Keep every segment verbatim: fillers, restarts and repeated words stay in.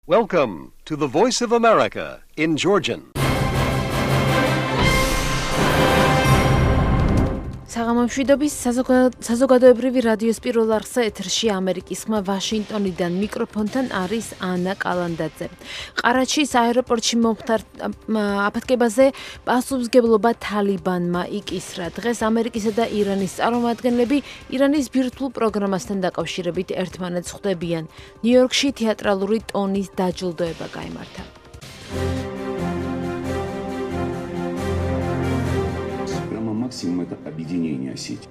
Welcome to the Voice of America in Georgian. საღამომშვიდობის საზოგადოებრივი რადიოს პირველ არხზე ეთერში ამერიკის ხმა ვაშინგტონიდან მიკროფონთან არის ანა კალანდაძე. ყარაჩის აეროპორტში მომხდარ აფეთქებაზე პასუხისმგებლობა თალიბანმა იკისრა. დღეს ამერიკისა და ირანის წარმომადგენლები ირანის ბირთვულ პროგრამასთან დაკავშირებით ერთმანეთს ხვდებიან. ნიუ-იორკში თეატრალური ტონის დაჯილდოება გაიმართა. Максимум это объединение сети.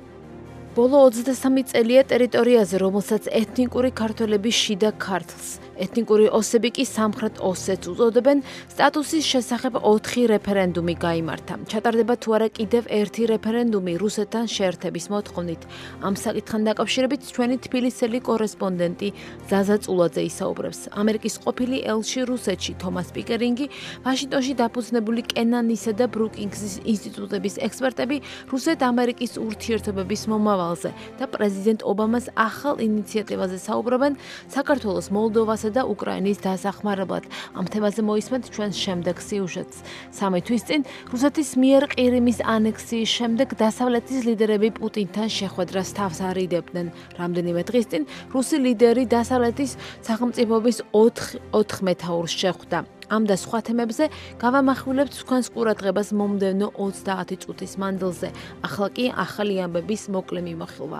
ბოლო ოცდასამი წელია ტერიტორიაზე, რომელსაც ეთნიკური ქართველები შიდა ქართლს, ეთნიკური ოსები კი სამხრეთ ოსეთს უწოდებენ, სტატუსის შესახებ ოთხი რეფერენდუმი გაიმართა. ჩატარდება თუ არა კიდევ ერთი რეფერენდუმი რუსეთთან შეერთების მოთხოვნით. ამ საკითხთან დაკავშირებით ჩვენი თბილისელი კორესპონდენტი ზაზა წულაძე ისაუბრებს. ამერიკის ყოფილი ელჩი რუსეთში თომას პიკერინგი, ვაშინგტონში დაფუძნებული კენანისა და ბრუკინგსის ინსტიტუტების ექსპერტები რუსეთ-ამერიკის ურთიერთობების მომავალ და პრეზიდენტ ობამას ახალ ინიციატივაზე საუბრობენ საქართველოს, მოლდოვასა და უკრაინის დასახმარებლად. ამ თემაზე მოისმენთ ჩვენს შემდეგ სიუჟეტს. სამი თვის წინ რუსეთის მიერ ყირიმის ანექსიის შემდეგ დასავლეთის ლიდერები პუტინთან შეხვედრას თავს არიდებდნენ. რამდენიმე დღის წინ რუსი ლიდერი დასავლეთის სახელმწიფოების ოთხ მეთაურს შეხვდა. ამ და სხვა თემებზე გავამახვილებთ თქვენს ყურადღებას მომდევნო ოცდაათი წუთის მანძილზე. ახლა კი ახალი ამბების მოკლე მიმოხილვა.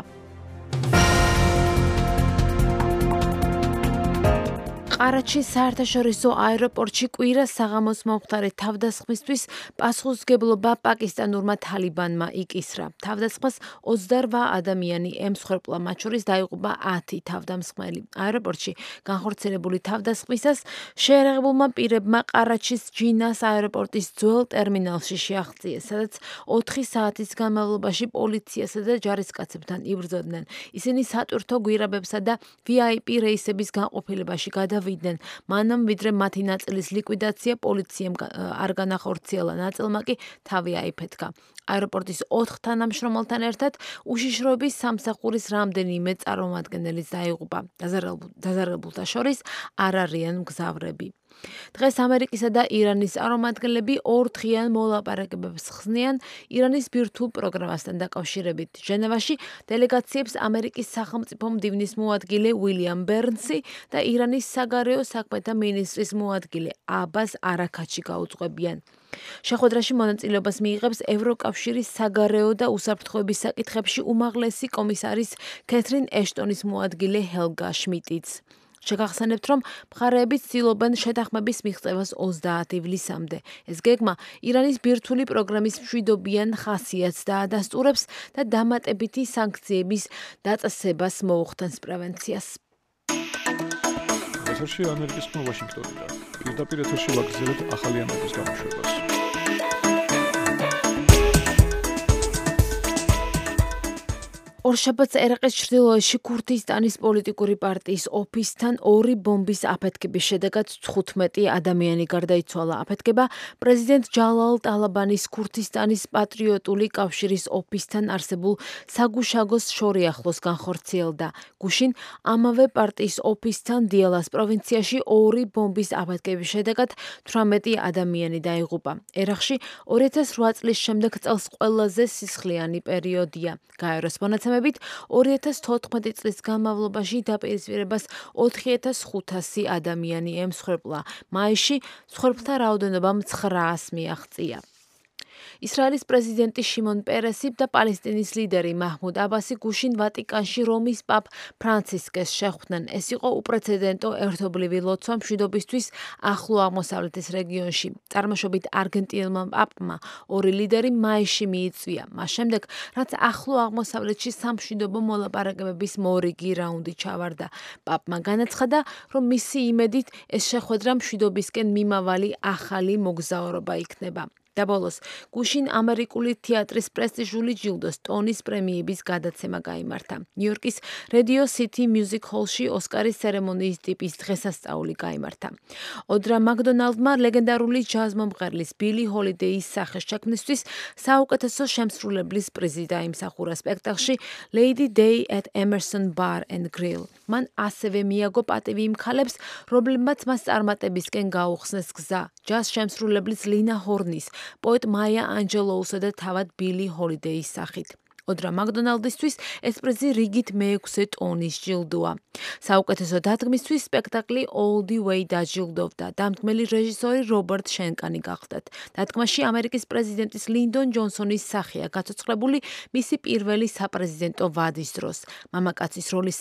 ყარაჩის საერთაშორისო აეროპორტში კვირას საღამოს მომხდარი თავდასხმისთვის პასუხისმგებლობა პაკისტანურმა თალიბანმა იკისრა. თავდასხმას ოცდაოთხ ადამიანი ემსხვერპლა, მათ შორის დაიღუპა ათი თავდამსხმელი. აეროპორტში განხორციელებული თავდასხმისას შეერაღებულმა პირებმა ყარაჩის ჯინას აეროპორტის ძველ ტერმინალში შეაღწიეს, სადაც ოთხი საათის განმავლობაში პოლიციასა და ჯარისკაცებთან იბრძოდნენ. ისინი სატვირთო გვირაბებსა და ვი აი პი რეისების განყოფილებაში გადავიდნენ. მანამ ვიდრე მათი ნაწილის ლიკვიდაცია პოლიციამ არ განახორციელა, ნაწილმა კი თავი აიფეთქა. აეროპორტის ოთხ თანამშრომელთან ერთად უშიშროების სამსახურის რამდენიმე წარმომადგენელიც დაიღუპა. დაზარალებულთა შორის არ არიან მგზავრები. დღეს ამერიკისა და ირანის წარმომადგენლები ორ დღიან მოლაპარაკებებს ხსნიან ირანის ბირთვულ პროგრამასთან დაკავშირებით. ჟენევაში დელეგაციებს ამერიკის სახელმწიფო მდივნის მოადგილე უილიამ ბერნსი და ირანის საგარეო საქმეთა მინისტრის მოადგილე აბას არაქაჩი გაუძღვებიან. შეხვედრაში მონაწილეობას მიიღებს ევროკავშირის საგარეო და უსაფრთხოების საკითხებში უმაღლესი კომისარის ქეთრინ ეშტონის მოადგილე ჰელგა შმიდტიც. შეგახსენებთ, რომ მხარეები ცდილობენ შეთანხმების მიღწევას ოცდაათი ივლისამდე. ეს გეგმა ირანის ბირთვული პროგრამის მშვიდობიან ხასიათს დაადასტურებს და დამატებითი სანქციების დაწესებას მოუხდენს პრევენციას. ეთერში ამერიკის ხმა ვაშინგტონიდან. პირდაპირ ეთერში ვაგრძელებთ ახალი ამბების გამოშვებას. ორშაბათს ერაყის ჩრდილოეთში ქურთისტანის პოლიტიკური პარტიის ოფისთან ორი ბომბის აფეთქების შედეგად თხუთმეტი ადამიანი გარდაიცვალა. აფეთქება პრეზიდენტ ჯალალ ტალაბანის ქურთისტანის პატრიოტული კავშირის ოფისთან არსებულ საგუშაგოს შორიახლოს განხორციელდა. გუშინ ამავე პარტიის ოფისთან დიალას პროვინციაში ორი ბომბის აფეთქების შედეგად თვრამეტი ადამიანი დაიღუპა. ერაყში ორი ათას რვა წლის შემდეგ წელს ყველაზე სისხლიანი პერიოდია. გაეროს მონაცემებით ორი ათას თოთხმეტი წლის განმავლობაში დაპირისპირებას ოთხი ათას ხუთასი ადამიანი ემსხვერპლა. მაისში მსხვერპლთა რაოდენობამ ცხრაას მიაღწია. ისრაელის პრეზიდენტი შიმონ პერესი და პალესტინის ლიდერი მაჰმუდ აბასი გუშინ ვატიკანში რომის პაპ ფრანცისკეს შეხვდნენ. ეს იყო უპრეცედენტო ერთობლივი ლოცვა მშვიდობისთვის ახლო აღმოსავლეთის რეგიონში. წარმოშობით არგენტინელმა პაპმა ორი ლიდერი მაისში მიიწვია. მას შემდეგ, რაც ახლო აღმოსავლეთში სამშვიდობო მოლაპარაკებების მორიგი რაუნდი ჩავარდა. პაპმა განაცხადა, რომ მისი იმედით ეს შეხვედრა მშვიდობისკენ მიმავალი ახალი მოგზაურობა იქნება. და ბოლოს გუშინ ამერიკული თეატრის პრესტიჟული ჯილდოს ტონის პრემიების გადაცემა გაიმართა. ნიუ-იორკის Radio City Music Hall-ში ოსკარის ცერემონიის ტიპის დღესასწაული გაიმართა. ოდრა მაკდონალდმა ლეგენდარული ჯაზ მომღერლის ბილი ჰოლიდეის სახეს შექმნისთვის საუკეთესო შემსრულებლის პრიზი დაიმსახურა სპექტაკლში Lady Day at Emerson Bar and Grill. მან ასევე მიაგო პატივი იმ ქალებს, რომლებმაც მას წარმატებისკენ გაუხსნეს გზა. ჯაზ შემსრულებლის ლინა ჰორნის, პოეტ მაია ანჯელოუსა და თავად ბილი ჰოლიდეის სახით. ოდრა მაკდონალდისთვის ეს პრიზი რიგით მეექვსე ტონის ჯილდოა. საუკეთესო დადგმისთვის სპექტაკლი All the Way დაჯილდოვდა. დამდგმელი რეჟისორი რობერტ შენკანი გახლდათ. დადგმაში ამერიკის პრეზიდენტის ლინდონ ჯონსონის სახეა გაცოცხლებული მისი პირველი საპრეზიდენტო ვადის დროს. მამაკაცის როლის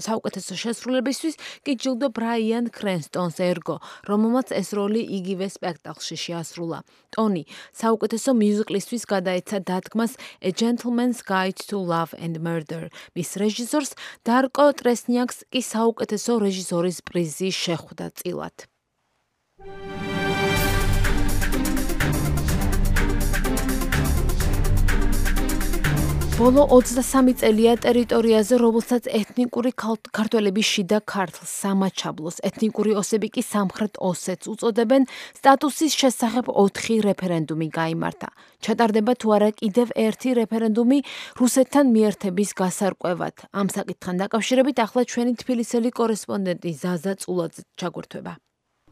საუკეთესო შესრულებისთვის კი ჯილდო ბრაიან კრენსტონს ერგო, რომელმაც ეს როლი იგივე სპექტაკლში შეასრულა. ტონი საუკეთესო მიუზიკლისთვის გადაეცა დადგმას A Gentleman's Guide to Love and Murder. მის რეჟისორს დარკო ტრესნიაკს კი საუკეთესო რეჟისორის პრიზი შეხვდა წილად. ბოლო ოცდასამი წელია ტერიტორიაზე, რომელსაც ეთნიკური ქართველები შიდა ქართლს, სამაჩაბლოს, ეთნიკური ოსები კი სამხრეთ ოსეთს უწოდებენ, სტატუსის შესახებ ოთხი რეფერენდუმი გაიმართა. ჩატარდება თუ არა კიდევ ერთი რეფერენდუმი რუსეთთან მიერთების გასარკვევად. ამ საკითხთან დაკავშირებით ახლა ჩვენი თბილისელი კორესპონდენტი ზაზა წულაძე ჩაგვერთვება.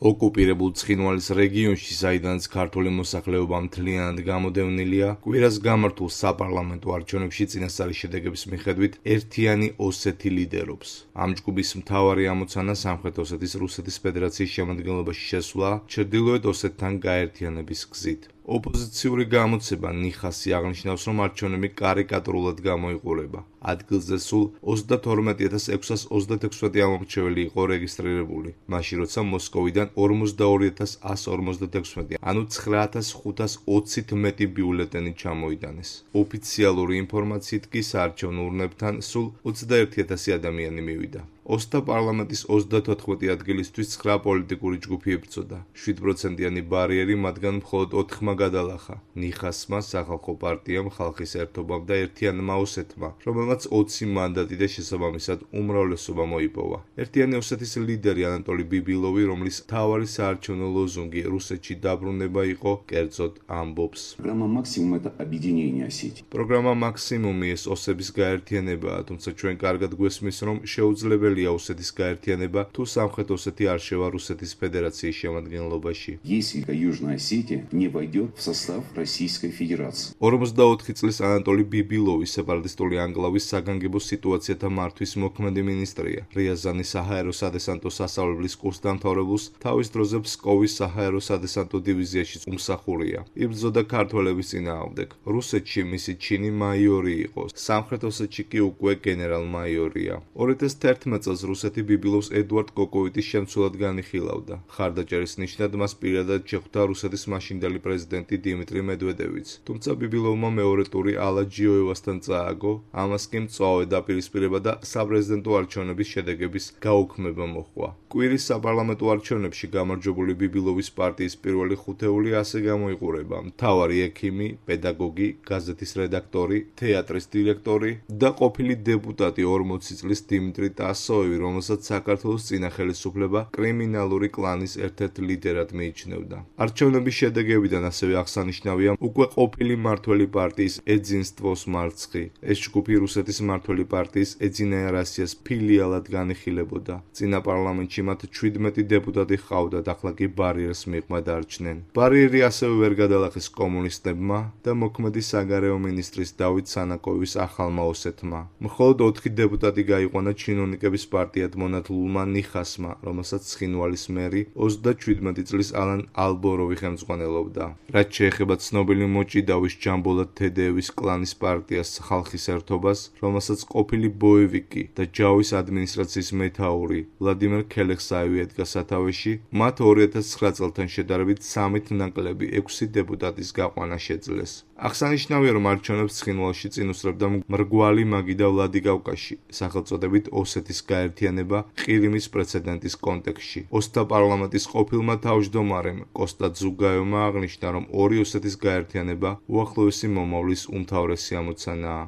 ოკუპირებულ ცხინვალის რეგიონში, საიდანაც ქართული მოსახლეობა მთლიანად გამოდევნილია, კვირას გამართულ საპარლამენტო არჩევნებში წინასწარი შედეგების მიხედვით ერთიანი ოსეთი ლიდერობს. ამ ჯგუფის მთავარი ამოცანა სამხრეთ ოსეთის რუსეთის ფედერაციის შემადგენლობაში შესვლა ჩრდილოეთ ოსეთთან გაერთიანების გზით. ოპოზიციური გამოცება ნიხასი აღნიშნავს, რომ არჩევნები კარიკატურულად გამოიყურება. ადგილზე სულ ოცდათორმეტი ათას ექვსას ოცდაექვსი ამომრჩეველი იყო რეგისტრირებული, მაშინ როცა მოსკოვიდან ორმოცდაორი ათას ასს ორმოცდაექვსი, ანუ ცხრა ათას ხუთას ოცით მეტი ბიულეტენი ჩამოიტანეს. ოფიციალური ინფორმაციით კი საარჩევნო ურნებთან სულ ოცდაერთი ათასი ადამიანი მივიდა. ოსთა პარლამენტის ოცდათოთხმეტი ადგილისთვის ცხრა პოლიტიკური ჯგუფი ებრძოდა. შვიდ პროცენტიანი ბარიერი მათგან მხოლოდ ოთხმა გადალახა. ნიხასმა, სახალხო პარტიამ, ხალხის ერთობამ და ერთიანმა ოსეთმა, რომელმაც ოცი მანდატი და შესაბამისად უმრავლესობა მოიპოვა. ერთიანი ოსეთის ლიდერი ანატოლი ბიბილოვი, რომლის მთავარი საარჩევნო ლოზუნგი რუსეთში დაბრუნება იყო, კერძოდ ამბობს. Программа «Максимум» — это объединение Осетии. პროგრამა მაქსიმუმი ეს ოსების გაერთიანებაა, თუმცა ჩვენ კარგად გვესმის, რომ შეუძლებელია ოსეთის გაერთიანება, თუ სამხრეთ ოსეთი არ შევა რუსეთის ფედერაციის შემადგენლობაში. Если Южная Осетия не войдет в состав Российской Федерации. ორმოცდაოთხი წლის ანატოლი ბიბილოვი სეპარატისტული ანკლავის საგანგებო სიტუაციათა მართვის მოქმედი მინისტრია. რიაზანის საჰაერო სადესანტო სასწავლებლის კურსს დამთავრებულს თავის დროზე ფსკოვის საჰაერო სადესანტო დივიზიაში უმსახურია. იბრძოდა ქართველების წინააღმდეგ. რუსეთში მისი ჩინი მაიორი იყო, სამხრეთ ოსეთში კი უკვე გენერალ-მაიორია. ორი ათას თერთმეტ წელს რუსეთი ბიბილოვს ედუარდ კოკოვიტის შემცვლად განიხილავდა. ხარდაჭერის ნიშნად მას პირადად შეხვდა რუსეთის მაშინდელი პრეზიდენტი დიმიტრი მედვედევიც. თუმცა ბიბილოვმა მეორე ტური ალა ჯიოევასთან წააგო, ამას კი მწვავე დაპირისპირება და საპრეზიდენტო არჩევნების შედეგების გაუქმება მოჰყვა. კვირის საპარლამენტო არჩევნებში გამარჯვებული ბიბილოვის პარტიის პირველი ხუთეული ასე გამოიყურება: მთავარი ექიმი, პედაგოგი, გაზეთის რედაქტორი, თეატრის დირექტორი და ყოფილი დეპუტატი ორმოცი წლის დიმიტრი ტასოევი, რომელსაც საქართველოს წინა ხელისუფლება კრიმინალური კლანის ერთ-ერთ ლიდერად მიიჩნევდა. არჩევნების შედეგებიდან ასევე აღსანიშნავია უკვე ყოფილი მმართველი პარტიის ეძინსტვოს მარცხი. ეს ჯგუფი რუსეთის მმართველი პარტიის ეძინაია რასიას ფილიალად განიხილებოდა. წინა პარლამენტში მათ შვიდმეტი დეპუტატი ჰყავდათ, ახლა კი ბარიერს მიღმა დარჩნენ. ბარიერი ასევე ვერ გადალახეს კომუნისტებმა და მოქმედი საგარეო მინისტრის დავით სანაკოვის ახალმა ოსეთმა. მხოლოდ ოთხი დეპუტატი გაიყვანა ჩინოვნიკების პარტიად მონათლულმა ნიხასმა, რომელსაც ცხინვალის მერი ოცდაშვიდმეტი წლის ალან ალბოროვი ხელმძღვანელობდა. რაც შეეხება ცნობილი მოჭიდავის ჯამბოლად თედეევის კლანის პარტიას ხალხის ერთობას, რომელსაც ყოფილი ბოევიკი და ჯავის ადმინისტრაციის მეთაური ვლადიმერ ქელექსაევი ედგა სათავეში, მათ ორი ათას ცხრა წელთან შედარებით სამით ნაკლები ექვსი დეპუტატის გაყვანა შეძლეს. აღსანიშნავია, რომ არჩევნებს ცხინვალში წინ უსწრებდა მრგვალი მაგი და ვლადი კავკასში, სახელწოდებით ოსეთის გაერთიანება ყირიმის პრეცედენტის კონტექსტში. ოსთა პარლამენტის ყოფილმა თავმჯდომარემ კოსტა ძუგაევმა აღნიშნა, რომ ორი ოსეთის გაერთიანება უახლოესი მომავლის უმთავრესი ამოცანაა.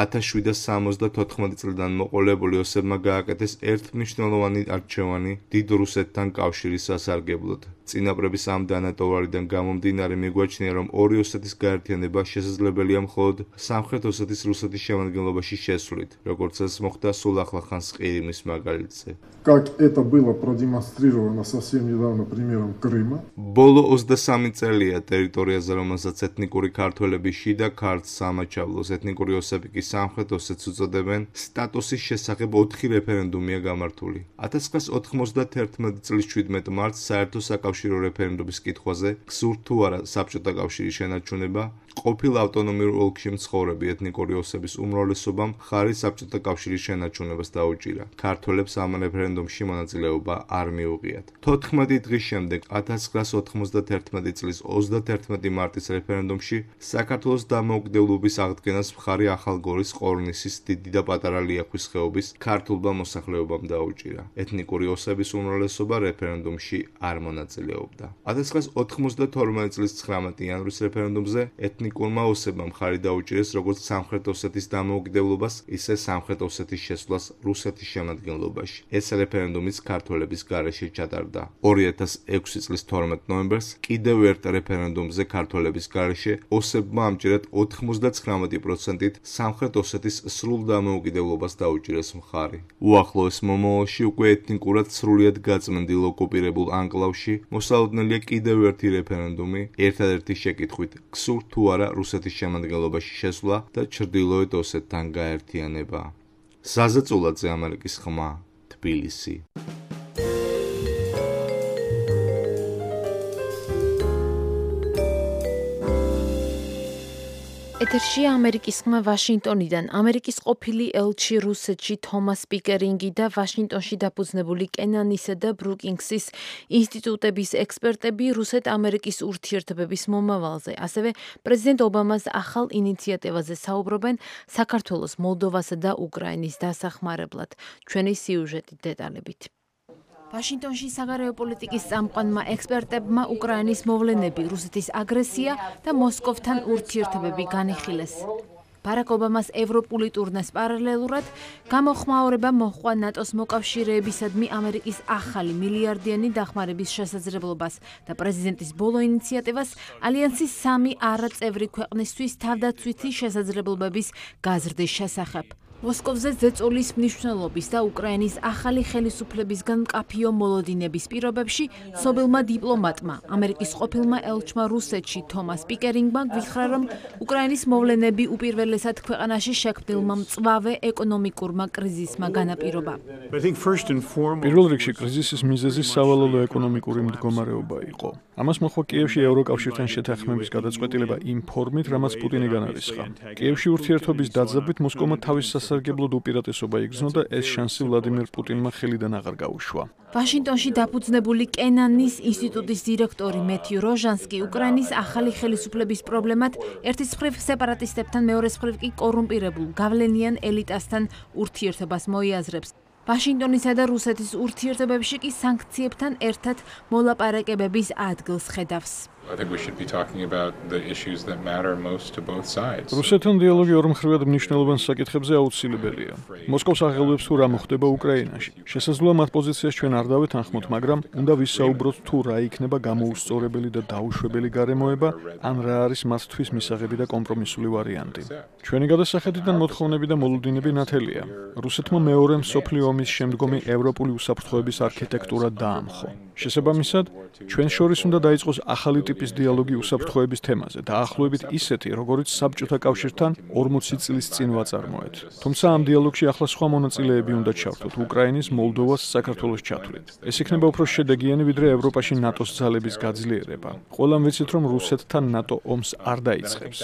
ათას შვიდსა სამოცდათოთხმეტი წლიდან მოყოლებული ოსებმა გააკეთეს ერთ მნიშვნელოვანი არჩევანი დიდ რუსეთთან კავშირის სასარგებლოდ. წინაპრების ამ დანატოვარიდან გამომდინარე მიგვაჩნია, რომ ორი ოსეთის გაერთიანება შესაძლებელია მხოლოდ სამხრეთ ოსეთის რუსეთის შემადგენლობაში შესვლით, როგორც ეს მოხდა სულ ახლახანს ყირიმის მაგალითზე. Как это было продемонстрировано совсем недавно примером Крыма. ბოლო ოცდასამი წელია ტერიტორიაზე, რომელსაც ეთნიკური ქართველები შიდა ქართლ სამაჩაბლოს, ეთნიკური ოსები კი სამხრეთ ოსეთს უწოდებენ, სტატუსის შესახებ ოთხი რეფერენდუმია გამართული. ათას ცხრაასა ოთხმოცდაათერთმეტი წლის შვიდმეტ მარტს საერთო საკავშირო რეფერენდუმის კითხვაზე გსურთ თუ არა საბჭოთა კავშირის შენარჩუნება, ყოფილ ავტონომიურ ოლქში მცხოვრები ეთნიკური ოსების უმრავლესობამ მხარი საბჭოთა კავშირის შენარჩუნებას დაუჭირა. ქართველებს ამ რეფერენდუმში მონაწილეობა არ მიუღიათ. თოთხმეტი დღის შემდეგ, ათას ცხრაასა ოთხმოცდაათერთმეტი წლის ოცდათერთმეტი მარტის რეფერენდუმში საქართველოს დამოუკიდებლობის აღდგენას მხარი ახალგორის, ყორნისის, დიდი და პატარა ლიახვის ხეობის ქართულმა მოსახლეობამ დაუჭირა. ეთნიკური ოსების უმრავლესობა რეფერენდუმში არ მონაწილეობდა. ათას ცხრაასა ოთხმოცდათორმეტი წლის ცხრამეტი იანვრის რეფერენდუმზე ეთნიკურმა ოსებმა მხარი დაუჭირეს როგორც სამხრეთ ოსეთის დამოუკიდებლობას, ისე სამხრეთ ოსეთის შესვლას რუსეთის შემადგენლობაში. ეს რეფერენდუმიც ქართველების გარეშე ჩატარდა. ორი ათას ექვსი წლის თორმეტ ნოემბერს კიდევ ერთ რეფერენდუმზე ქართველების გარეშე ოსებმა ამჯერად ოთხმოცდაცხრამეტი პროცენტით სამხრეთ ოსეთის სრულ დამოუკიდებლობას დაუჭირეს მხარი. უახლოეს მომავალში უკვე ეთნიკურად სრულიად გაწმენდილ ოკუპირებულ ანკლავში მოსალოდნელია კიდევ ერთი რეფერენდუმი, ერთადერთი შეკითხვით, გსურთ თუ არა რუსეთის შემადგენლობაში შესვლა და ჩრდილოეთ ოსეთთან გაერთიანება. საზეწულაძე, ამერიკის ხმა, თბილისი. ეთერშია ამერიკის ხმა ვაშინგტონიდან. ამერიკის ყოფილი ელჩი რუსეთში თომას პიკერინგი და ვაშინგტონში დაფუძნებული კენანისა და ბრუკინგსის ინსტიტუტების ექსპერტები რუსეთ-ამერიკის ურთიერთობების მომავალზე, ასევე პრეზიდენტ ობამას ახალ ინიციატივაზე საუბრობენ საქართველოს, მოლდოვასა და უკრაინის დასახმარებლად. ჩვენი სიუჟეტი დეტალებით. ვაშინგტონში საგარეო პოლიტიკის წამყვანმა ექსპერტებმა უკრაინის მოვლენები, რუსეთის აგრესია და მოსკოვთან ურთიერთობები განიხილეს. ბარაკ ობამას ევროპული ტურნეს პარალელურად გამოხმაურება მოჰყვა ნატოს მოკავშირეებისადმი ამერიკის ახალი მილიარდიანი დახმარების შესაძლებლობას და პრეზიდენტის ბოლო ინიციატივას ალიანსის სამი არაწევრი ქვეყნისთვის თავდაცვითი შესაძლებლობების გაზრდის შესახებ. მოსკოვზე ზეწოლის მნიშვნელობის და უკრაინის ახალი ხელისუფლებისგან მკაფიო მოლოდინების პირობებში ცნობილმა დიპლომატმა, ამერიკის ყოფილმა ელჩმა რუსეთში თომას პიკერინგმა გვითხრა, რომ უკრაინის მოვლენები უპირველესად ქვეყანაში შექმნილმა მწვავე ეკონომიკურმა კრიზისმა განაპირობა. პირველ რიგში კრიზისის მიზეზი სავალალო ეკონომიკური მდგომარეობა იყო. ამას მოჰყვა კიევში ევროკავშირთან შეთანხმების გადაწყვეტილება იმ ფორმით, რამაც პუტინი განარისხა. კიევში ურთიერთობის დაძაბვით მოსკოვმა თავის სასარგებლოდ უპირატესობა იგრძნო და ეს შანსი ვლადიმერ პუტინმა ხელიდან აღარ გაუშვა. ვაშინგტონში დაფუძნებული კენანის ინსტიტუტის დირექტორი მეთიუ როჟანსკი უკრაინის ახალი ხელისუფლების პრობლემად ერთის მხრივ სეპარატისტებთან, მეორეს მხრივ კი კორუმპირებულ გავლენიან ელიტასთან ურთიერთობას მოიაზრებს. ვაშინგტონისა და რუსეთის ურთიერთობებში კი სანქციებთან ერთად მოლაპარაკებების ადგილს ხედავს. რუსეთთან დიალოგი ორმხრივად მნიშვნელოვან საკითხებზე აუცილებელია. მოსკოვს აღელვებს თუ რა მოხდება უკრაინაში. შესაძლოა მათ პოზიციას ჩვენ არ დავეთანხმოთ, მაგრამ უნდა ვისაუბროთ თუ რა იქნება გამოუსწორებელი და დაუშვებელი გარემოება, ან რა არის მათთვის მისაღები და კომპრომისული ვარიანტი. ჩვენი გადასახედიდან მოთხოვნები და მოლოდინები ნათელია. რუსეთმა მეორე მსოფლიო ომის შემდგომი ევროპული უსაფრთხოების არქიტექტურა დაამხო. შესაბამისად, ჩვენ შორის უნდა დაიწყოს ახალი ტიპის დიალოგი უსაფრთხოების თემაზე, დაახლოებით ისეთი, როგორიც საბჭოთა კავშირთან ორმოცი წლის წინ ვაწარმოეთ. თუმცა ამ დიალოგში ახლა სხვა მონაწილეები უნდა ჩავთოთ, უკრაინის, მოლდოვას, საქართველოს ჩათვლით. ეს იქნება უფრო შედეგიანი, ვიდრე ევროპაში ნატოს ძალების გაძლიერება. ყველამ ვიცით, რომ რუსეთთან ნატო ომს არ დაიწყებს.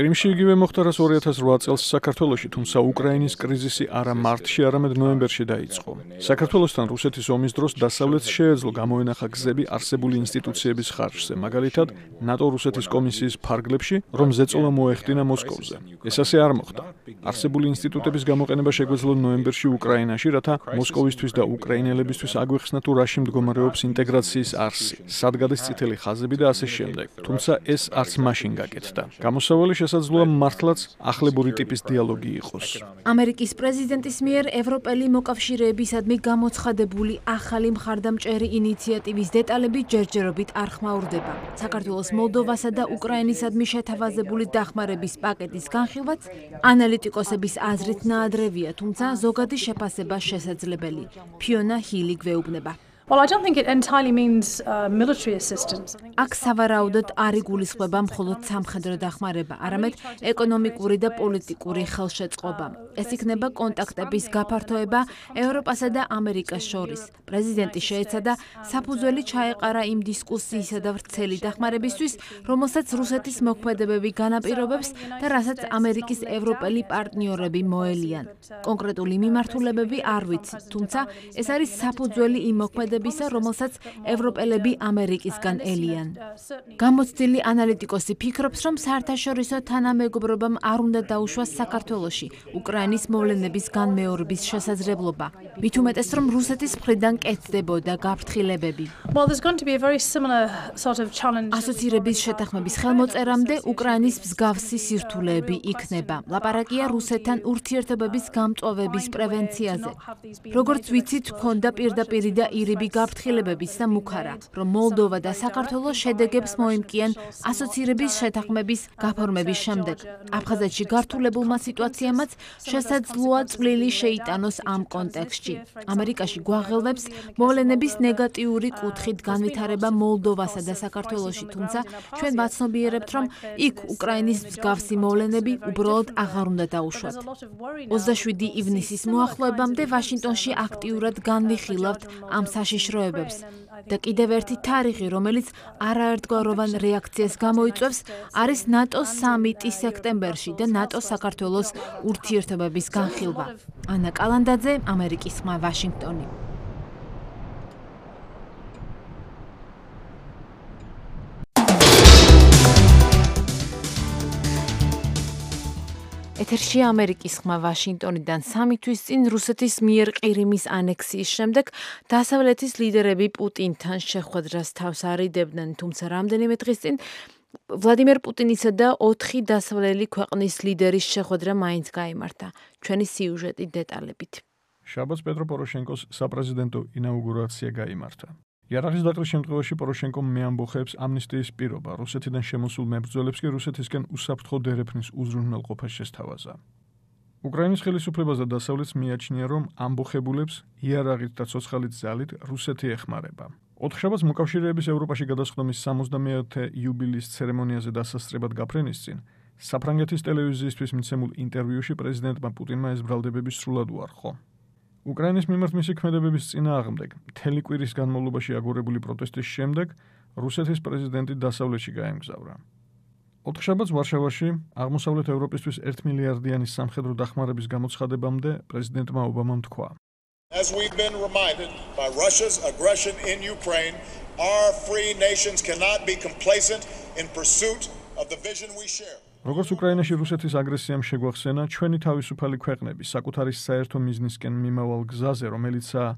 კრიმში იგივე მოხდა, რაც ორი ათას ოთხ წელს საქართველოში, თუმცა უკრაინის კრიზისი არა მარტში, არამედ ნოემბერში დაიწყო. საქართველოსთან რუსეთის ომის დროს დასავლეთს შეეძლო გამოენახა გზები არსებული ინსტიტუციების ხარჯზე, მაგალითად, ნატო-რუსეთის კომისიის ფარგლებში, რომ ზეწოლა მოეხდინა მოსკოვზე. ეს ასე არ მოხდა. არსებული ინსტიტუტების გამოყენება შეგვეძლო ნოემბერში უკრაინაში, რათა მოსკოვისთვის და უკრაინელებისთვის აგვიხსნა თუ რაში მდგომარეობს ინტეგრაციის არსი, სად გადის წითელი ხაზები და ასე შემდეგ. თუმცა ეს არც მაშინ გაკეთდა. გამოსავალი შესაძლოა მართლაც ახლებური ტიპის დიალოგი იყოს. ამერიკის პრეზიდენტის მიერ ევროპელი მოკავშირეებისადმი გამოცხადებული ახალი მხარდამჭერი ინიციატივის დეტალები ჯერჯერობით არ ხმაურდება. საქართველოს მოლდოვასა და უკრაინისადმი შეთავაზებული დახმარების პაკეტის განხილვაც ანალიტიკოსების აზრით ნაადრევია, თუმცა ზოგადი შეფასება შესაძლებელი. ფიონა ჰილი გვეუბნება. Well, I don't think it entirely means uh, military assistance. აქ სავარაუდოდ არ იგულისხმება მხოლოდ სამხედრო დახმარება, არამედ ეკონომიკური და პოლიტიკური ხელშეწყობა. ეს იქნება კონტაქტების გაფართოება ევროპასა და ამერიკას შორის. პრეზიდენტი შეეცადა საფუძველი ჩაეყარა იმ დისკუსიისა და ვრცელი დახმარებისთვის, რომელსაც რუსეთის მოქმედებები განაპირობებს და რასაც ამერიკის ევროპელი პარტნიორები მოელიან. კონკრეტული მიმართულებები არ ვიცი, თუმცა ეს არის საფუძველი იმ მოქმედებებისა, რომელსაც ევროპელები ამერიკისგან ელიან. გამოცდილი ანალიტიკოსი ფიქრობს, რომ საერთაშორისო თანამეგობრობამ არ უნდა დაუშვას საქართველოში უკრაინის მოვლენების განმეორების შესაძლებლობა. მით უმეტეს, რომ რუსეთის მხრიდან კეთდებოდა გაფრთხილებები. Well, there's going to be a very similar sort of challenge. ასოცირების შეთანხმების ხელმოწერამდე უკრაინის მსგავსი სირთულეები იქნება. ლაპარაკია რუსეთთან ურთიერთობების გამწვავების პრევენციაზე. როგორც ვიცით, ჰქონდა პირდაპირი და ირიბი გაფრთხილებების და მუქარა, რომ მოლდოვა და საქართველო შედეგებს მოიმკიან ასოცირების შეთანხმების გაფორმების შემდეგ. აფხაზეთში გართულებულმა სიტუაციამაც შესაძლოა წვლილი შეიტანოს ამ კონტექსტში. ამერიკაში გვაღელვებს მოვლენების ნეგატიური კუთხით განვითარება მოლდოვასა და საქართველოში, თუმცა ჩვენ ვაცნობიერებთ, რომ იქ უკრაინის მსგავსი მოვლენები უბრალოდ აღარ უნდა დაუშვათ. ოცდაშვიდი ივნისის მოახლოებამდე ვაშინგტონში აქტიურად განვიხილავთ ამ საშიშროებებს. და კიდევ ერთი თარიღი, რომელიც არაერთგვაროვან რეაქციას გამოიწვევს, არის ნატოს სამიტი სექტემბერში და ნატო-საქართველოს ურთიერთობების განხილვა. ანა კალანდაძე, ამერიკის ხმა, ვაშინგტონი. ეთერში ამერიკის ხმა ვაშინგტონიდან სამი თვის წინ რუსეთის მიერ ყირიმის ანექსიის შემდეგ დასავლეთის ლიდერები პუტინთან შეხვედრას თავს არიდებდნენ, თუმცა რამდენიმე დღის წინ ვლადიმერ პუტინისა და ოთხი დასავლელი ქვეყნის ლიდერის შეხვედრა მაინც გაიმართა. ჩვენი სიუჟეტი დეტალებით. შაბათს პეტრო პოროშენკოს საპრეზიდენტო ინაუგურაცია გაიმართა. იარაღის დაყრის შემთხვევაში პოროშენკომ მეამბოხებს ამნისტიის პირობა, რუსეთიდან შემოსულ მებრძოლებს კი რუსეთისკენ უსაფრთხო დერეფნის უზრუნველყოფა შესთავაზა. უკრაინის ხელისუფლებას და დასავლეთს მიაჩნია, რომ ამბოხებულებს იარაღით და ცოცხალით ძალით რუსეთი ეხმარება. ოთხშაბათს მოკავშირეების ევროპაში გადასხდომის სამოცდამეათე იუბილეის ცერემონიაზე დასასწრებად გაფრენის წინ საფრანგეთის ტელევიზიისთვის მიცემულ ინტერვიუში პრეზიდენტმა პუტინმა ეს ბრალდებები სრულად უარყო. უკრაინის მიმართ მისი ქმედებების წინააღმდეგ მთელი კვირის განმავლობაში აგორებული პროტესტის შემდეგ რუსეთის პრეზიდენტი დასავლეთში გაემგზავრა. ოთხშაბათს ვარშავაში აღმოსავლეთ ევროპისთვის ერთ მილიარდიანი სამხედრო დახმარების გამოცხადებამდე პრეზიდენტმა ობამამ თქვა: As we've been reminded by Russia's aggression in Ukraine, our free nations cannot be complacent in pursuit of the vision we share. როგორც უკრაინაში რუსეთის აგრესიამ შეგვახსენა, ჩვენი თავისუფალი ქვეყნები საკუთარი საერთო მიზნისკენ მიმავალ გზაზე, რომელიცაა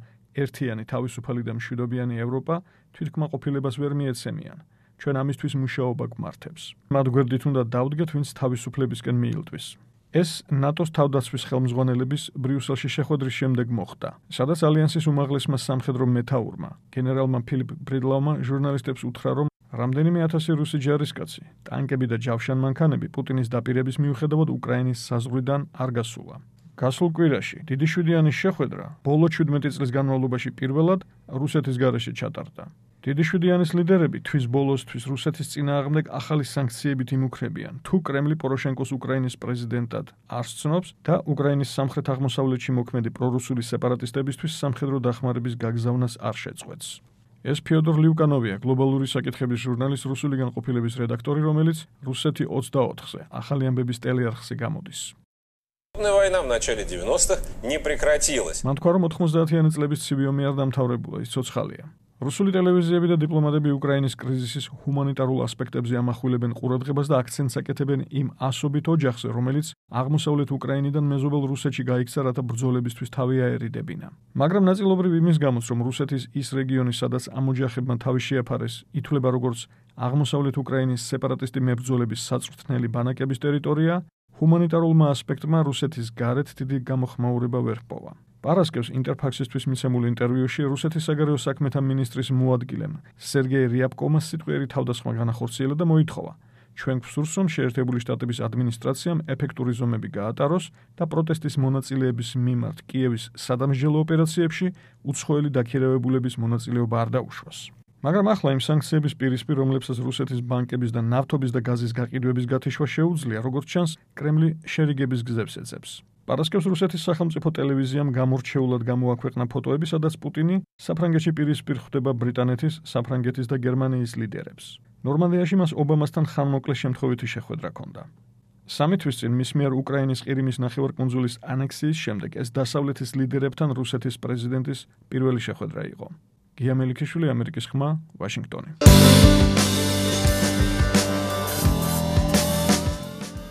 ერთიანი თავისუფალი და მშვიდობიანი ევროპა, თვითკმაყოფილებას ვერ მიეცემიან. ჩვენ ამისთვის მუშაობა გვმართებს. მათ გვერდით უნდა დავდგეთ, ვინც თავისუფლებისკენ მიილტვის. ეს ნატოს თავდაცვის ხელმძღვანელების ბრიუსელში შეხვედრის შემდეგ მოხდა, სადაც ალიანსის უმაღლესმა სამხედრო მეთაურმა, გენერალმა ფილიპ ბრიდლაუმმა ჟურნალისტებს უთხრა, რომ რამდენიმე ათასი რუსი ჯარისკაცი, ტანკები და ჯავშანმანქანები პუტინის დაპირების მიუხედავად უკრაინის საზღვრიდან არ გასულა. გასულ კვირაში დიდი შვიდიანის შეხვედრა ბოლო ჩვიდმეტი წლის განმავლობაში პირველად რუსეთის გარეშე ჩატარდა. დიდი შვიდიანის ლიდერები თვის ბოლოსთვის რუსეთის წინააღმდეგ ახალი სანქციებით იმუქრებიან, თუ კრემლი პოროშენკოს უკრაინის პრეზიდენტად არ სცნობს და უკრაინის სამხრეთ-აღმოსავლეთში მოქმედი პრორუსული სეპარატისტებისთვის სამხედრო დახმარების გაგზავნას არ შეწყვეტს. ეს ფიოდორ ლიუკანოვია, გლობალური საკითხების ჟურნალის რუსული განყოფილების რედაქტორი, რომელიც რუსეთი ოცდაოთხზე ახალი ამბების ტელეარხზე გამოდის. Война в начале девяностых не прекратилась. მან თქვა, რომ ოთხმოცდაათიანი წლების ცივი ომი არ დამთავრებულა, ის ცოცხალია. რუსული ტელევიზიები და დიპლომატები უკრაინის კრიზისის ჰუმანიტარულ ასპექტებზე ამახვილებენ ყურადღებას და აქცენტს აკეთებენ იმ ასობით ოჯახზე, რომელიც აღმოსავლეთ უკრაინიდან მეზობელ რუსეთში გაიქცა, რათა ბრძოლებისთვის თავი აერიდებინა. მაგრამ ნაწილობრივ იმის გამოც, რომ რუსეთის ის რეგიონი, სადაც ამ ოჯახებმა თავი შეაფარეს, ითვლება როგორც აღმოსავლეთ უკრაინის სეპარატისტი მებრძოლების საწვრთნელი ბანაკების ტერიტორია, ჰუმანიტარულმა ასპექტმა რუსეთის გარეთ დიდი გამოხმაურება ვერ ჰპოვა. პარასკევს ინტერფაქსისთვის მიცემულ ინტერვიუში რუსეთის საგარეო საქმეთა მინისტრის მოადგილემ სერგეი რიაბკოვმა სიტყვიერი თავდასხმა განახორციელა და მოითხოვა, ჩვენ გვსურს, რომ შეერთებული შტატების ადმინისტრაციამ ეფექტური ზომები გაატაროს და პროტესტის მონაწილეების მიმართ კიევის სადამსჯელო ოპერაციებში უცხოელი დაქირავებულების მონაწილეობა არ დაუშვას. მაგრამ ახლა იმ სანქციების პირისპირ, რომლებსაც რუსეთის ბანკების და ნავთობის და გაზის გაყიდვების გათიშვა შეუძლია, როგორც ჩანს, კრემლი შერიგების გზებს ეძებს. პარასკევს რუსეთის სახელმწიფო ტელევიზიამ გამორჩეულად გამოაქვეყნა ფოტოები, სადაც პუტინი საფრანგეთში პირისპირ ხვდება ბრიტანეთის, საფრანგეთის და გერმანიის ლიდერებს. ნორმანდიაში მას ობამასთან ხანმოკლე შემთხვევითი შეხვედრა ჰქონდა. სამი თვის წინ მის მიერ უკრაინის ყირიმის ნახევარკუნძულის ანექსიის შემდეგ ეს დასავლეთის ლიდერებთან რუსეთის პრეზიდენტის პირველი შეხვედრა იყო. გია მელიქიშვილი, ამერიკის ხმა, ვაშინგტონი.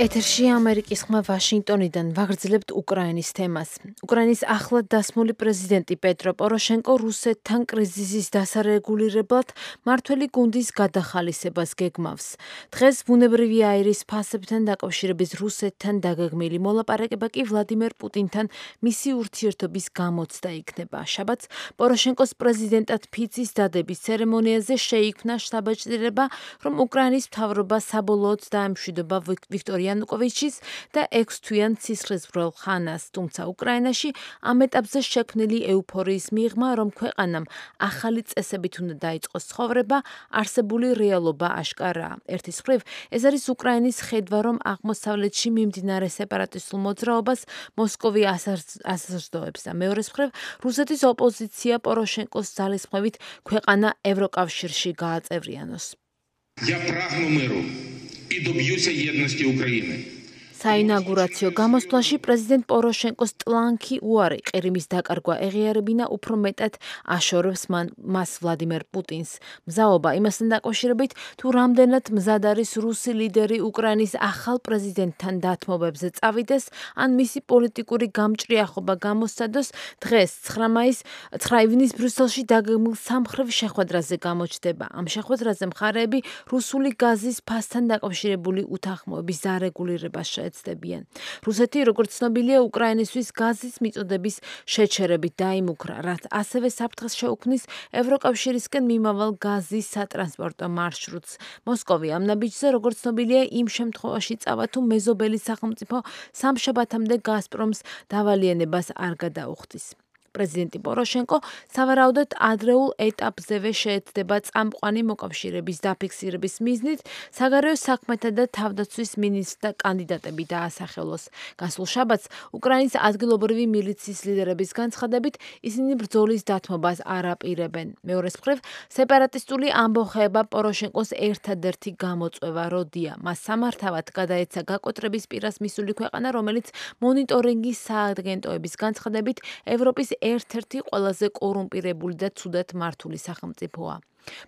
ეთერში ამერიკის ხმა ვაშინგტონიდან ვაგრძელებთ უკრაინის თემას. უკრაინის ახლად დასმული პრეზიდენტი პეტრო პოროშენკო რუსეთთან კრიზისის დასარეგულირებლად მართველი გუნდის გადახალისებას გეგმავს. დღეს ბუნებრივი აირის ფასებთან დაკავშირების რუსეთთან დაგეგმილი მოლაპარაკება კი ვლადიმერ პუტინთან მისი ურთიერთობის გამოცდა იქნება. შაბათს პოროშენკოს პრეზიდენტად ფიცის დადების ცერემონიაზე შეიქმნა შთაბეჭდილება, რომ უკრაინის მთავრობა საბოლოოდ დაემშვიდობა ვიქტორია იანუკოვიჩის და ექვსთვიან ცისხლისმღვრელ ხანას, თუმცა უკრაინაში ამ ეტაპზე შექმნილი ეუფორიის მიღმა, რომ ქვეყანამ ახალი წესებით უნდა დაიწყოს ცხოვრება, არსებული რეალობა აშკარაა. ერთის მხრივ, ეს არის უკრაინის ხედვა, რომ აღმოსავლეთში მიმდინარე სეპარატისტულ მოძრაობას მოსკოვი ასაზრდოებს და მეორეს მხრივ, რუსეთის ოპოზიცია პოროშენკოს ძალისხმევით ქვეყანა ევროკავშირში გააწევრიანოს. Я прагну миру и добьюся едности Украины. საინაგურაციო გამოსვლაში პრეზიდენტ პოროშენკოს ტლანქი უარი ყირიმის დაკარგვა ეღიარებინა უფრო მეტად აშორებს მას ვლადიმერ პუტინს. მზაობა იმასთან დაკავშირებით, თუ რამდენად მზად არის რუსი ლიდერი უკრაინის ახალ პრეზიდენტთან დათმობებზე წავიდეს, ან მისი პოლიტიკური გამჭრიახობა გამოსცადოს, დღეს ცხრა ივნის ბრიუსელში დაგეგმილ სამხრივ შეხვედრაზე გამოჩნდება. ამ შეხვედრაზე მხარეები რუსული გაზის ფასთან დაკავშირებული უთანხმოების დარეგულირებას შეეცდებიან. რუსეთი, როგორც ცნობილია, უკრაინისთვის გაზის მიწოდების შეჩერებით დაიმუქრა, რაც ასევე საფრთხეს შეუქმნის ევროკავშირისკენ მიმავალ გაზის სატრანსპორტო მარშრუტს. მოსკოვი ამ ნაბიჯზე, როგორც ცნობილია, იმ შემთხვევაში წავა, თუ მეზობელი სახელმწიფო სამშაბათამდე გაზპრომს დავალიანებას არ გადაუხდის. პრეზიდენტი პოროშენკო სავარაუდოდ ადრეულ ეტაპზევე შეეცდება წამყვანი მოკავშირეების დაფიქსირების მიზნით საგარეო საქმეთა და თავდაცვის მინისტრთა კანდიდატები დაასახელოს. გასულ შაბათს უკრაინის ადგილობრივი მილიციის ლიდერების განცხადებით ისინი ბრძოლის დათმობას არ აპირებენ. მეორეს მხრივ, სეპარატისტული ამბოხება პოროშენკოს ერთადერთი გამოწვევა როდია. მას სამართავად გადაეცა გაკოტრების პირას მისული ქვეყანა, რომელიც მონიტორინგის სააგენტოების განცხადებით ევროპის ერთ-ერთი ყველაზე კორუმპირებული და ცუდად მართული სახელმწიფოა.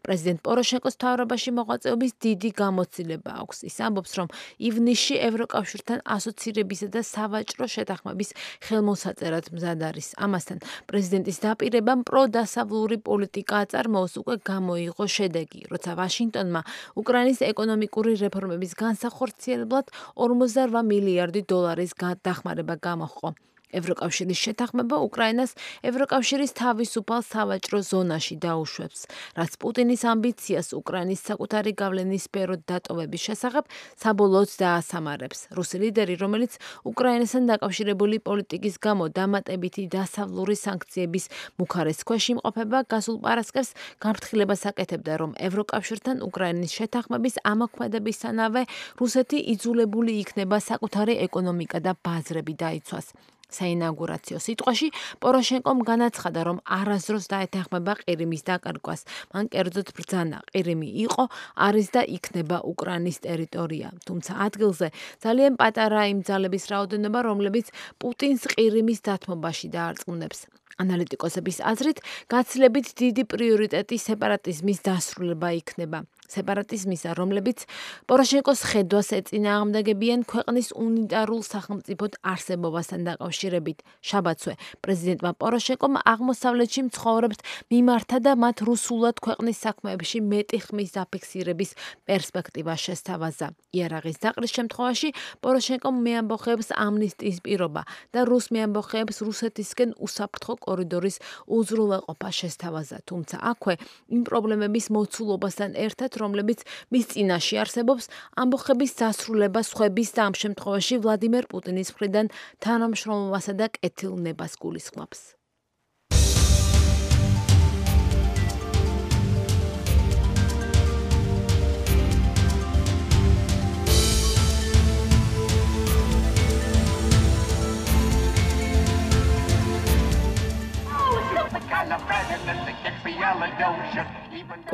პრეზიდენტ პოროშენკოს მთავრობაში მოღვაწეობის დიდი გამოცდილება აქვს. ის ამბობს, რომ ივნისში ევროკავშირთან ასოცირებისა და სავაჭრო შეთანხმების ხელმოსაწერად მზად არის. ამასთან, პრეზიდენტის დაპირებამ პროდასავლური პოლიტიკა აწარმოოს უკვე გამოიღო შედეგი, როცა ვაშინგტონმა უკრაინის ეკონომიკური რეფორმების განსახორციელებლად ორმოცდარვა მილიარდი დოლარის დახმარება გამოჰყო. ევროკავშირის შეთანხმება უკრაინას ევროკავშირის თავისუფალ სავაჭრო ზონაში დაუშვებს, რაც პუტინის ამბიციას უკრაინის საკუთარი გავლენის სფეროთ დატოვების შესახებ საბოლოოდ დაასამარებს. რუსი ლიდერი, რომელიც უკრაინასთან დაკავშირებული პოლიტიკის გამო დამატებითი დასავლური სანქციების მუხარეს ქვეშ იმყოფება, გასულ პარასკევს განფრთხილებას აკეთებდა, რომ ევროკავშირთან უკრაინის შეთანხმების ამოქმედებისთანავე რუსეთი იძულებული იქნება საკუთარი ეკონომიკა და ბაზრები დაიცვას. საინაugurაციო სიტყვაში პოროშენკომ განაცხადა, რომ არასდროს დაეთანხმება ყირიმის დაკარგვას. მან კერძოდ ბრძანა, ყირიმი იყო, არის და იქნება უკრაინის ტერიტორია. თუმცა ადგილზე ძალიან პატარა იმ ძალების რაოდენობა, რომლებიც პუტინს ყირიმის დათმობაში დაარწმუნებს. ანალიტიკოსების აზრით, გაცილებით დიდი პრიორიტეტი სეპარატიზმის დასრულება იქნება. სეპარატიზმისა, რომლებიც პოროშენკოს ხედვას ეწინააღმდეგებიან ქვეყნის უნიტარულ სახელმწიფოდ არსებობასთან დაკავშირებით. შაბათსვე პრეზიდენტმა პოროშენკომ აღმოსავლეთში მცხოვრებთ მიმართა და მათ რუსულად ქვეყნის საქმეებში მეტი ხმის დაფიქსირების პერსპექტივა შესთავაზა. იარაღის დაყრის შემთხვევაში პოროშენკომ მეამბოხეებს ამნისტიის პირობა და რუს მეამბოხეებს რუსეთისკენ უსაფრთხო კორიდორის უზრუნველყოფა შესთავაზა. თუმცა აქვე იმ პრობლემების მოცულობასთან ერთად, რომლებიც მის წინაშე არსებობს, ამბოხების დასრულება სხვების და ამ შემთხვევაში ვლადიმერ პუტინის მხრიდან თანამშრომლობასა და კეთილნებას გულისხმობს.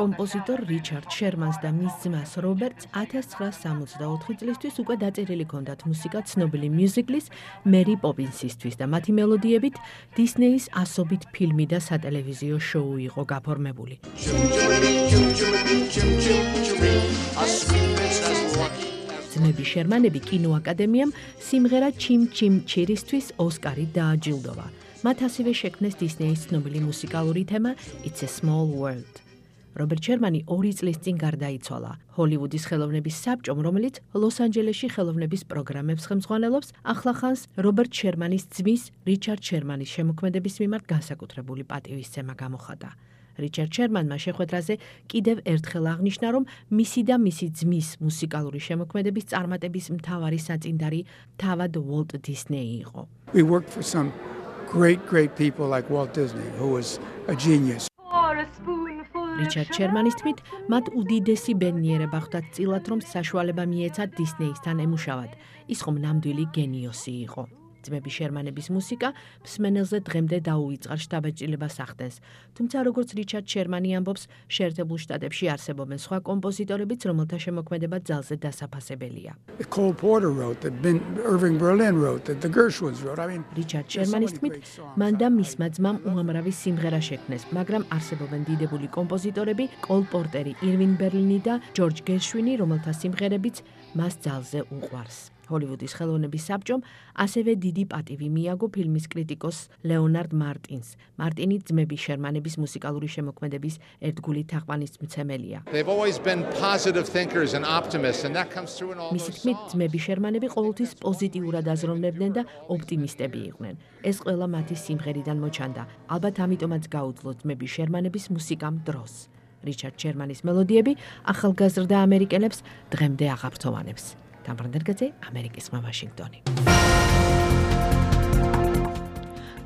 კომპოზიტორ რიჩარდ შერმანს და მის ძმას რობერტს ათას ცხრაას სამოცდაოთხი წლისთვის უკვე დაწერილი ჰქონდათ მუსიკა ცნობილი მიუზიკლის მერი პოპინსისთვის და მათი მელოდიებით დისნეის ასობით ფილმი და სატელევიზიო შოუ იყო გაფორმებული. ძმები შერმანები კინოაკადემიამ სიმღერა ჩიმ ჩიმ ჩირისთვის ოსკარი დააჯილდოვა. მათ ასევე შექმნეს დისნეის ცნობილი მუსიკალური თემა It's a Small World. რობერტ შერმანი ორი წლის წინ გარდაიცვალა. ჰოლივუდის ხელოვნების საბჭომ, რომელიც ლოს-ანჯელესში ხელოვნების პროგრამებს ხელმძღვანელობს, ახლახანს რობერტ შერმანის ძმის რიჩარდ შერმანის შემოქმედების მიმართ განსაკუთრებული პატივისცემა გამოხატა. რიჩარდ შერმანმა შეხვედრაზე კიდევ ერთხელ აღნიშნა, რომ მისი და მისი ძმის მუსიკალური შემოქმედების წარმატების მთავარი საწინდარი თავად უოლტ დისნეი იყო. We worked for some great, great people like Walt Disney, who was a genius. რიჩარდ შერმანის თქმით, მათ უდიდესი ბედნიერება ხვდათ წილად, რომ საშუალება მიეცათ დისნეისთან ემუშავად. ის ხომ ნამდვილი გენიოსი იყო. ძმები შერმანების მუსიკა მსმენელზე დღემდე დაუვიწყარ შთაბეჭდილებას ახდენს. თუმცა როგორც რიჩარდ შერმანი ამბობს, შეერთებულ შტატებში არსებობენ სხვა კომპოზიტორებიც, რომელთა შემოქმედება ძალზე დასაფასებელია. Cole Porter wrote that, Irving Berlin wrote that, the Gershwins wrote. I mean, რიჩარდ შერმანის თქმით, მან და მისმა ძმამ უამრავი სიმღერა შექმნეს, მაგრამ არსებობენ დიდებული კომპოზიტორები, კოლ პორტერი, ირვინ ბერლინი და ჯორჯ გერშვინი, რომელთა სიმღერებიც მას ძალზე უყვარს. ჰოლივუდის ხელოვნების საბჭომ ასევე დიდი პატივი მიაგო ფილმის კრიტიკოს ლეონარდ მარტინს. მარტინი ძმები შერმანების მუსიკალური შემოქმედების ერთგული თაყვანისმცემელია. მისი თქმით, ძმები შერმანები ყოველთვის პოზიტიურად აზროვნებდნენ და ოპტიმისტები იყვნენ. ეს ყველა მათი სიმღერიდან მოჩანდა. ალბათ ამიტომაც გაუძლო ძმები შერმანების მუსიკამ დროს. რიჩარდ შერმანის მელოდიები ახალგაზრდა ამერიკელებს დღემდე აღაფრთოვანებს. გამბრანდერგაძე, ამერიკის ხმა, ვაშინგტონი.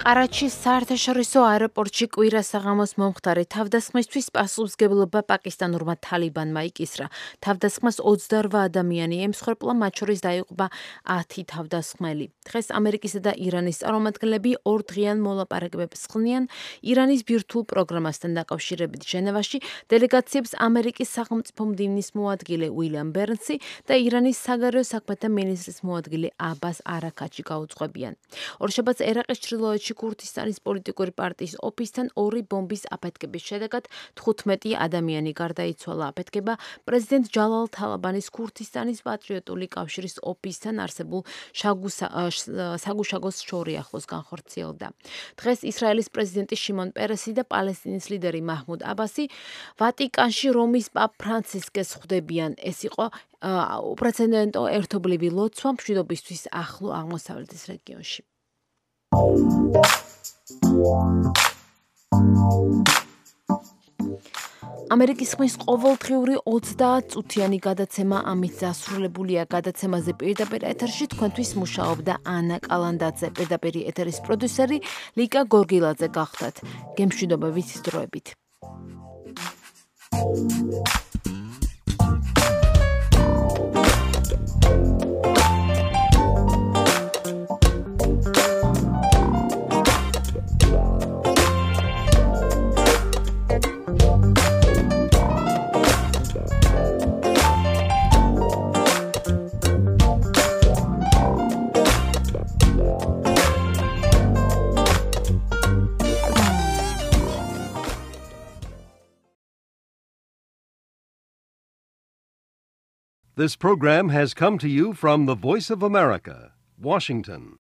ყარაჩის საერთაშორისო აეროპორტში კვირა საღამოს მომხდარი თავდასხმისთვის პასუხისმგებლობა პაკისტანურმა თალიბანმა იკისრა. თავდასხმას ოცდაორვა ადამიანი ემსხვერპლა, მათ შორის დაიღუპა ათი თავდასხმელი. დღეს ამერიკისა და ირანის წარმომადგენლები ორდღიან მოლაპარაკებებს ხსნიან ირანის ბირთვულ პროგრამასთან დაკავშირებით. ჟენევაში დელეგაციებს ამერიკის სახელმწიფო მდივნის მოადგილე უილიამ ბერნსი და ირანის საგარეო საქმეთა მინისტრის მოადგილე აბას არაქაჩი გაუძღვებიან. ორშაბათს ერაყის ჩრდილოეთში ქურთისტანის პოლიტიკური პარტიის ოფისთან ორი ბომბის აფეთქების შედეგად თხუთმეტი ადამიანი გარდაიცვალა. აფეთქება პრეზიდენტ ჯალალ თალაბანის ქურთისტანის პატრიოტული კავშირის ოფისთან არსებულ საგუშაგოს შორი ახლოს განხორციელდა. დღეს ისრაელის პრეზიდენტი შიმონ პერესი და პალესტინის ლიდერი მაჰმუდ აბასი ვატიკანში რომის პაპ ფრანცისკეს ხვდებიან. ეს იყო უპრეცედენტო ერთობლივი ლოცვა მშვიდობისთვის ახლო აღმოსავლეთის რეგიონში. ამერიკის ხმის ყოველდღიური ოცდაათ წუთიანი გადაცემა ამით დასრულებულია. გადაცემაზე პირდაპირ ეთერში თქვენთვის მუშაობდა ანა კალანდაძე, პირდაპირ ეთერის პროდიუსერი ლიკა გორგილაძე გახდათ. გემშვიდობა ვიცით დროებით. This program has come to you from the Voice of America, Washington.